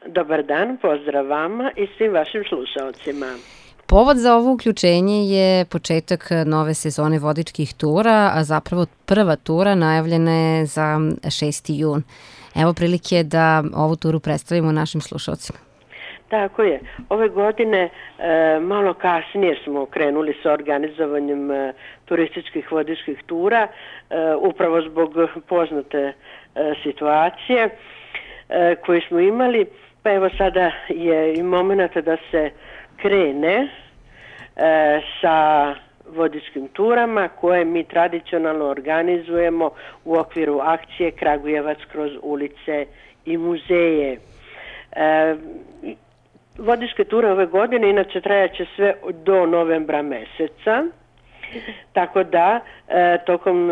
Dobar dan, pozdrav vama i svim vašim slušalcima. Povod za ovo uključenje je početak nove sezone vodičkih tura, a zapravo prva tura najavljena je za 6. jun. Evo prilike da ovu turu predstavimo našim slušalcima. Tako je. Ove godine malo kasnije smo krenuli sa organizovanjem turističkih vodičkih tura, upravo zbog poznate situacije koju smo imali. Pa evo sada je i moment da se krene sa vodičkim turama koje mi tradicionalno organizujemo u okviru akcije Kragujevac kroz ulice i muzeje. Vodičke ture ove godine inače trajaće sve do novembra meseca, tako da tokom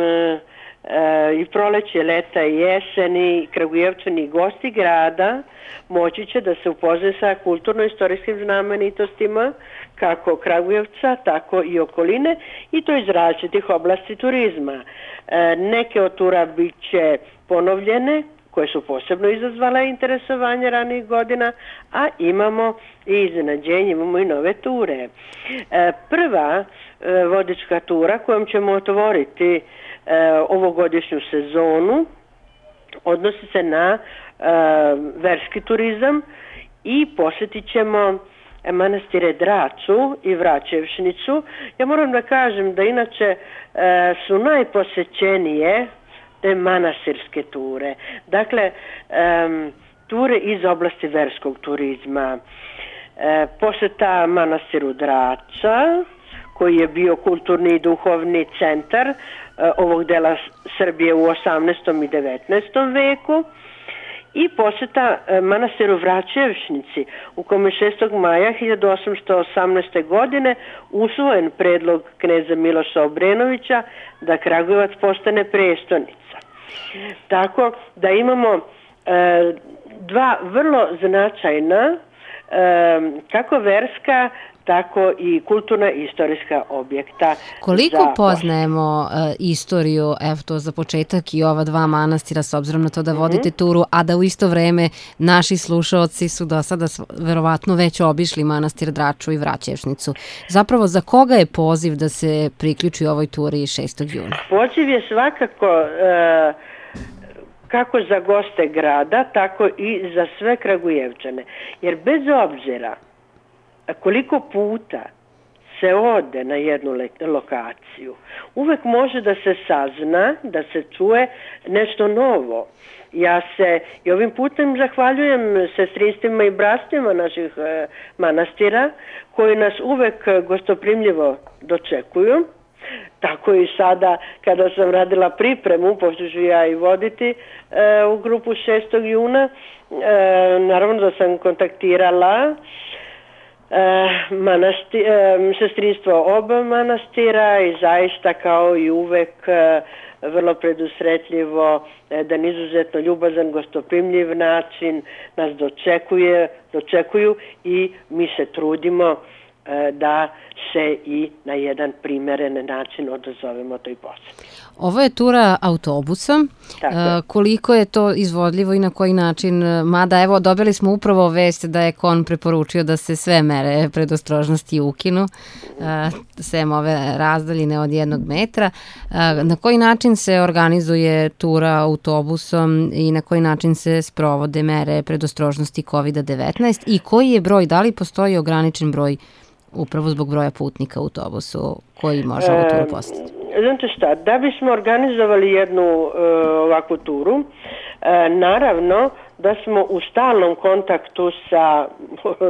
i proleće, leta i jeseni Kragujevčani i gosti grada moći će da se upoznaju sa kulturno-istorijskim znamenitostima kako Kragujevca, tako i okoline, i to iz različitih oblasti turizma. Neke od tura bit će ponovljene, koje su posebno izazvale interesovanje ranijih godina, a imamo i iznenađenje, imamo i nove ture. Prva vodička tura kojom ćemo otvoriti ovogodišnju sezonu odnosi se na verski turizam i posjetit ćemo manastire Draču i Vraćevšnicu. Ja moram da kažem da inače su najposećenije te manastirske ture. Dakle, ture iz oblasti verskog turizma. Poseta manastiru Drača, koji je bio kulturni i duhovni centar ovog dela Srbije u 18. i 19. veku, i poseta manastiru Vraćevšnici, u kome 6. maja 1818. godine usvojen predlog kneza Miloša Obrenovića da Kragujevac postane prestonica. Tako da imamo dva vrlo značajna kako verska, tako i kulturna i istorijska objekta. Koliko poznajemo istoriju, evo to za početak, i ova dva manastira, s obzirom na to da vodite turu, a da u isto vreme naši slušaoci su do sada verovatno već obišli manastir Draču i Vraćevšnicu. Zapravo, za koga je poziv da se priključi ovoj turi 6. juna? Poziv je svakako kako za goste grada, tako i za sve Kragujevčane. Jer bez obzira koliko puta se ode na jednu lokaciju, uvek može da se sazna, da se čuje nešto novo. Ja se i ovim putem zahvaljujem sestrinstvima i bratstvima naših manastira, koji nas uvek gostoprimljivo dočekuju. Tako i sada kada sam radila pripremu, pošto ću ja i voditi u grupu 6. juna, naravno da sam kontaktirala sestrinstvo oba manastira i zaista kao i uvek vrlo predusretljivo, jedan izuzetno ljubazan, gostoprimljiv način nas dočekuju i mi se trudimo da se i na jedan primeren način odazovemo toj poseti. Ovo je tura autobusom. Koliko je to izvodljivo i na koji način? Mada, evo, dobili smo upravo vest da je KON preporučio da se sve mere predostrožnosti ukinu, sem ove razdaljine od 1 metra. Na koji način se organizuje tura autobusom i na koji način se sprovode mere predostrožnosti COVID-19 i koji je broj, da li postoji ograničen broj upravo zbog broja putnika u autobusu koji može ovu turu posjetiti? Znate šta, da bismo organizovali jednu ovakvu turu, naravno da smo u stalnom kontaktu sa,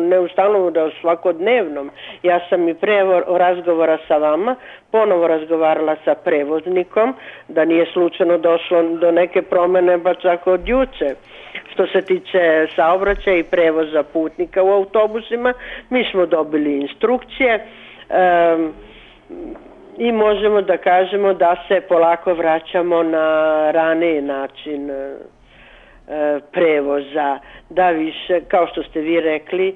ne u stalnom, da u svakodnevnom. Ja sam i pre razgovora sa vama ponovo razgovarala sa prevoznikom, da nije slučajno došlo do neke promene, pa čak od juče. Što se tiče saobraćaja i prevoza putnika u autobusima, mi smo dobili instrukcije i možemo da kažemo da se polako vraćamo na raniji način prevoza, da više, kao što ste vi rekli,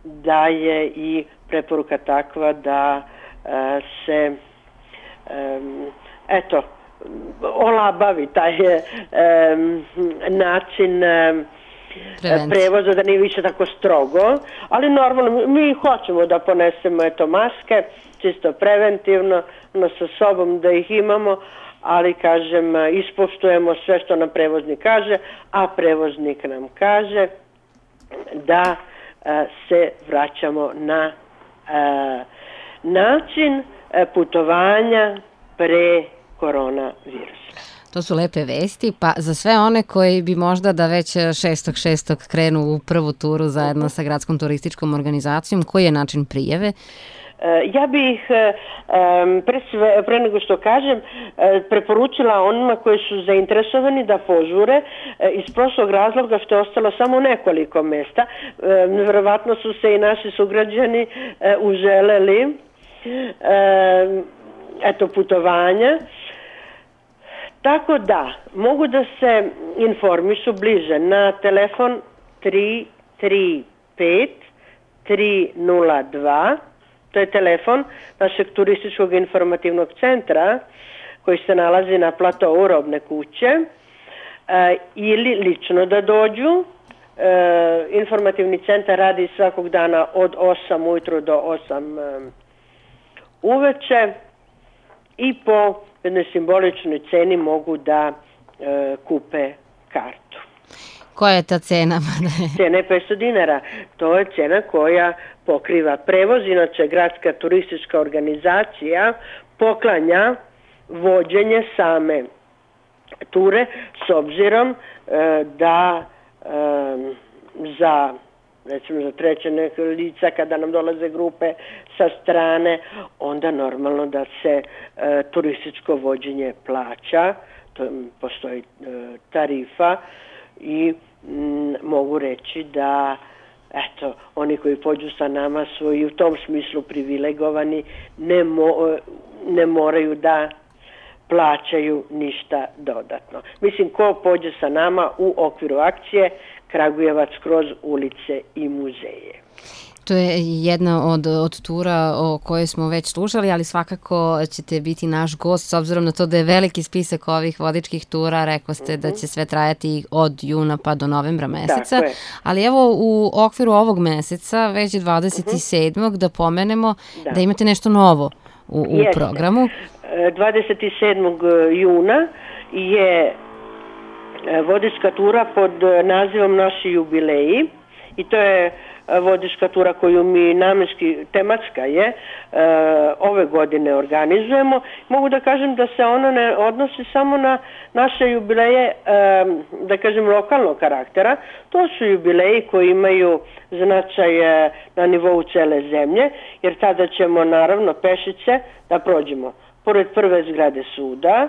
da je i preporuka takva da se olabavi taj način prevoza, da nije više tako strogo, ali normalno mi hoćemo da ponesemo maske, čisto preventivno, sa sobom da ih imamo, ali kažem, ispoštujemo sve što nam prevoznik kaže, a prevoznik nam kaže da se vraćamo na način putovanja pre koronavirusa. To su lepe vesti, pa za sve one koji bi možda da već 6.6. krenu u prvu turu zajedno sa Gradskom turističkom organizacijom, koji je način prijave? Ja bih pre nego što kažem preporučila onima koji su zainteresovani da požure iz prošlog razloga što je ostalo samo nekoliko mesta. Verovatno su se i naši sugrađani uželeli putovanja. Tako da, mogu da se informišu bliže na telefon 335 302. To je telefon našeg turističkog informativnog centra koji se nalazi na platovu Robne kuće, ili lično da dođu. Informativni centar radi svakog dana od 8 ujutru do 8 uveče i po jednoj simboličnoj ceni mogu da kupe kartu. Koja je ta cena? Cena je 500 dinara. To je cena koja pokriva prevoz. Inače, Gradska turistička organizacija poklanja vođenje same ture s obzirom da recimo za treće neke lica kada nam dolaze grupe sa strane, onda normalno da se turističko vođenje plaća, postoji tarifa i mogu reći da oni koji pođu sa nama su i u tom smislu privilegovani, ne moraju da plaćaju ništa dodatno. Mislim, ko pođe sa nama u okviru akcije Kragujevac kroz ulice i muzeje. To je jedna od tura o kojoj smo već slušali, ali svakako ćete biti naš gost, s obzirom na to da je veliki spisak ovih vodičkih tura, rekao ste da će sve trajati od juna pa do novembra meseca, ali evo u okviru ovog meseca, već 27. da pomenemo da imate nešto novo u programu. 27. juna je vodička tura pod nazivom Naši jubileji i to je vodička tura koju mi namenski, tematska je, ove godine organizujemo. Mogu da kažem da se ona ne odnosi samo na naše jubileje, da kažem, lokalnog karaktera. To su jubileji koji imaju značaj na nivou cele zemlje, jer tada ćemo naravno pešice da prođemo pored prve zgrade suda,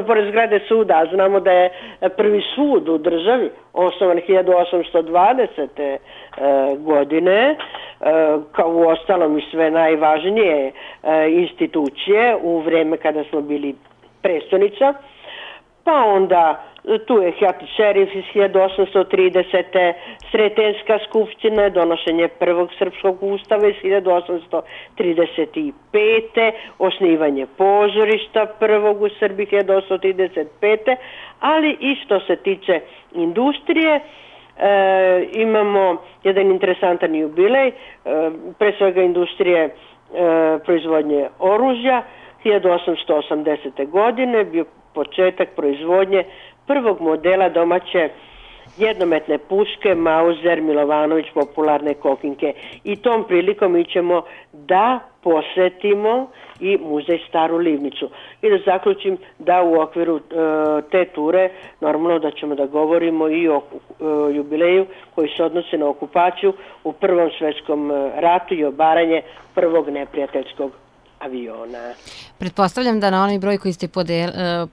pored zgrade suda, a znamo da je prvi sud u državi osnovan 1820. godine, kao u ostalom i sve najvažnije institucije u vreme kada smo bili prestonica, pa onda tu je Hjati šerif iz 1830. Sretenska skupština, donošenje prvog srpskog ustava iz 1835. Osnivanje pozorišta prvog u Srbiji 1835. Ali i što se tiče industrije, imamo jedan interesantan jubilej, pre svega industrije proizvodnje oružja. 1880. godine bio početak proizvodnje prvog modela domaće jednometne puške Mauser Milovanović popularne kokinke. I tom prilikom mi ćemo da posetimo i muzej Staru Livnicu. I da zaključim da u okviru te ture normalno da ćemo da govorimo i o jubileju koji se odnosi na okupaciju u Prvom svetskom ratu i obaranje prvog neprijateljskog aviona. Pretpostavljam da na onaj broj koji ste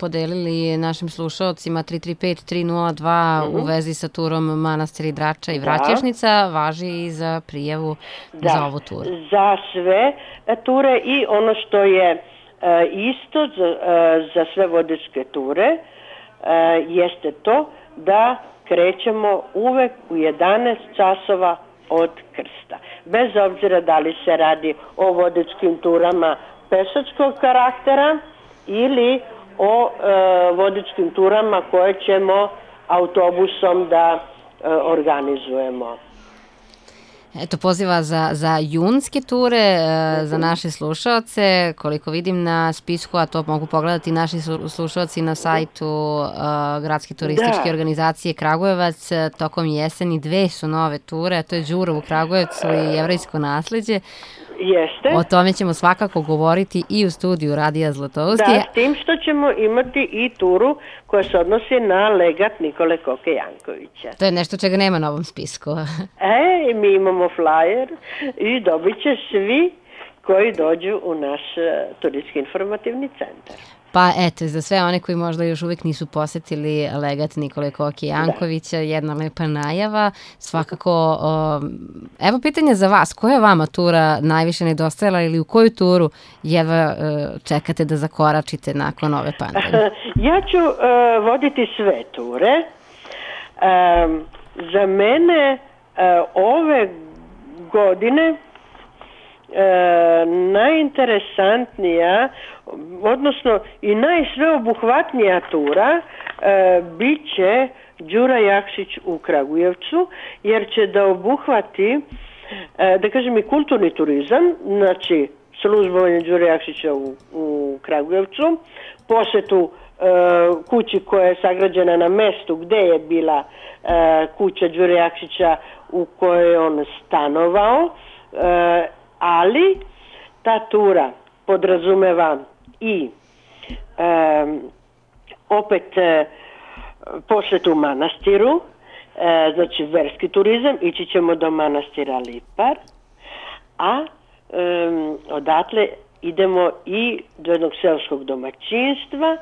podelili našim slušaocima 335-302 u vezi sa turom Manastiri Drača i Vraćešnica važi i za prijavu za ovu turu. Za sve ture i ono što je isto za sve vodičke ture jeste to da krećemo uvek u 11 časova od krsta. Bez obzira da li se radi o vodičkim turama pešačkog karaktera ili o vodičkim turama koje ćemo autobusom da organizujemo. Eto, poziva za junske ture, za naše slušaoce, koliko vidim na spisku, a to mogu pogledati naši slušaoci na sajtu Gradske turističke organizacije Kragujevac, tokom jeseni 2 su nove ture, a to je Đuro u Kragujevcu i Jevrejsko nasleđe. Jeste. O tome ćemo svakako govoriti i u studiju Radija Zlatousti. Da, s tim što ćemo imati i turu koja se odnosi na legat Nikole Koke Jankovića. To je nešto čega nema na ovom spisku. Mi imamo flyer i dobit će svi koji dođu u naš turistički informativni centar. Pa eto, za sve one koji možda još uvijek nisu posetili legat Nikole Koke Jankovića, jedna lepa najava. Svakako, evo pitanje za vas, koja je vama tura najviše nedostajala ili u koju turu jedva čekate da zakoračite nakon ove pandemije? Ja ću voditi sve ture. Za mene ove godine najinteresantnija, odnosno i najsveobuhvatnija tura bit će Đura Jakšić u Kragujevcu, jer će da obuhvati, da kažem, i kulturni turizam, znači službovanje Đure Jakšića u Kragujevcu, posetu kući koja je sagrađena na mestu gde je bila kuća Đure Jakšića u kojoj je on stanovao, ali ta tura podrazumeva i opet posetu manastiru, znači verski turizam, ići ćemo do manastira Lipar, a odatle idemo i do jednog seoskog domaćinstva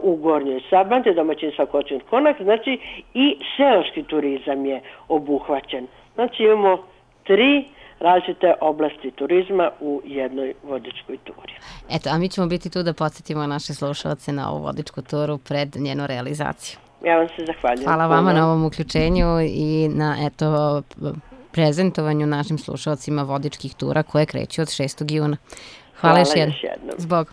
u Gornjoj Sabanti, domaćinstva Kočin Konak, znači i seoski turizam je obuhvaćen. Znači imamo 3 različite oblasti turizma u jednoj vodičkoj turi. Eto, a mi ćemo biti tu da podsjetimo naše slušalce na ovu vodičku turu pred njenu realizaciju. Ja vam se zahvaljujem. Hvala vama na ovom uključenju i na prezentovanju našim slušalcima vodičkih tura koje kreću od 6. juna. Hvala još jednom. Zbog.